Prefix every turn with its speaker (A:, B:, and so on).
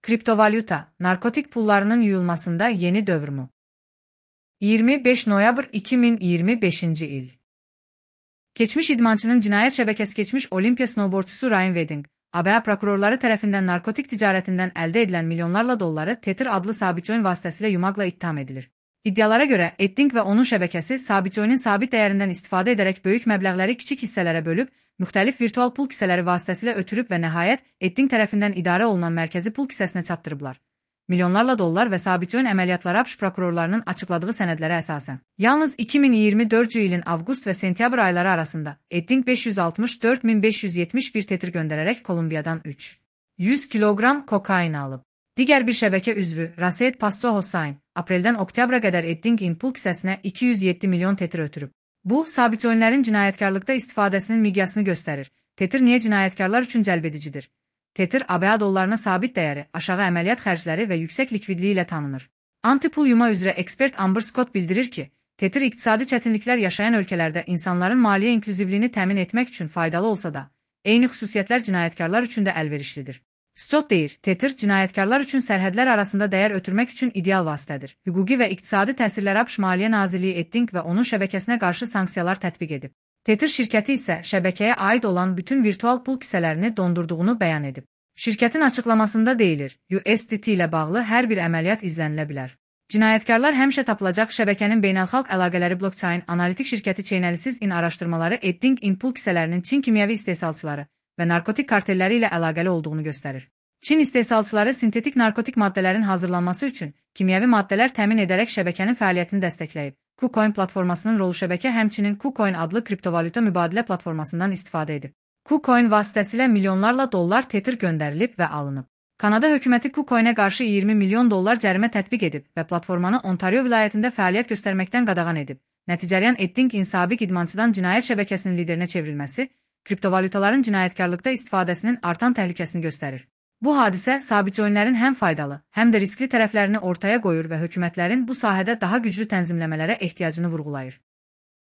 A: Kriptovalyuta, narkotik pullarının yuyulmasında yeni dövr mü? 25 noyabr 2025 il. Keçmiş idmançının cinayet şebekesi geçmiş Olimpiya snowboardçusu Ryan Wedding, ABA prokurorları tərəfindən narkotik ticaretinden elde edilen milyonlarla dolları Tether adlı sabitcoin vasıtasıyla yumakla itham edilir. İddialara göre Edding ve onun şebekesi sabitcoinin sabit değerinden istifade ederek büyük məbləğləri kiçik hisselere bölüp, müxtəlif virtual pul kisələri vasıtasıyla ötürüb və nəhayət Edding tərəfindən idarə olunan mərkəzi pul kisəsinə çatdırıblar. Milyonlarla dollar və sabitcoin əməliyyatları ABŞ prokurorlarının açıkladığı sənədlərə əsasən. Yalnız 2024 ilin avqust və sentyabr ayları arasında Edding 564.571 Tether göndərərək Kolumbiyadan 100 kiloqram kokain alıb. Digər bir şəbəkə üzvü Raseed Pasto Hossain, apreldən oktyabra qədər Eddingin pul kisəsinə 207 milyon Tether ötürüb. Bu, sabitcoinlərin cinayətkarlıqda istifadəsinin miqyasını göstərir. Tether niyə cinayətkarlar üçün cəlbedicidir? Tether, ABA dollarına sabit dəyəri, aşağı əməliyyat xərcləri və yüksək likvidliyi ilə tanınır. Anti-pul yuma üzrə ekspert Amber Scott bildirir ki, Tether iqtisadi çətinliklər yaşayan ölkələrdə insanların maliyyə inklüzivliyini təmin etmək üçün faydalı olsa da, eyni xüsusiyyətlər cinayətkarlar üçün də əlverişlidir. Scott deyir, Tether cinayətkarlar üçün sərhədlər arasında dəyər ötürmək üçün ideal vasitədir. Hüquqi və iqtisadi təsirlər ABŞ Maliyyə Nazirliyi Edding və onun şəbəkəsinə qarşı sanksiyalar tətbiq edib. Tether şirkəti isə şəbəkəyə aid olan bütün virtual pul kisələrini dondurduğunu bəyan edib. Şirkətin açıqlamasında deyilir, USDT ilə bağlı hər bir əməliyyat izlənilə bilər. Cinayətkarlar həmişə tapılacaq şəbəkənin beynəlxalq əlaqələri blockchain analitik şirkəti Chainalysis in araşdırmaları Edding in pul kisələrinin Çin kimyəvi istehsalçıları və narkotik kartelləri ilə əlaqəli olduğunu göstərir. Çin istehsalçıları sintetik narkotik maddələrin hazırlanması üçün kimyəvi maddələr təmin edərək şəbəkənin fəaliyyətini dəstəkləyib. KuCoin platformasının rolu şəbəkə həmçinin KuCoin adlı kriptovalyuta mübadilə platformasından istifadə edib. KuCoin vasitəsilə milyonlarla dollar Tether göndərilib və alınıb. Kanada hökuməti KuCoin'ə qarşı 20 milyon dollar cərimə tətbiq edib və platformanı Ontario vilayətində fəaliyyət göstərməkdən qadağan edib. Nəticələyən Eddingin sabiq idmançıdan cinayət şəbəkəsinin liderinə çevrilməsi, kriptovalyutaların cinayətkarlıqda istifadəsinin artan təhlükəsini göstərir. Bu hadisə sabitcoinlərin həm faydalı, həm də riskli tərəflərini ortaya qoyur və hökumətlərin bu sahədə daha güclü tənzimləmələrə ehtiyacını vurğulayır.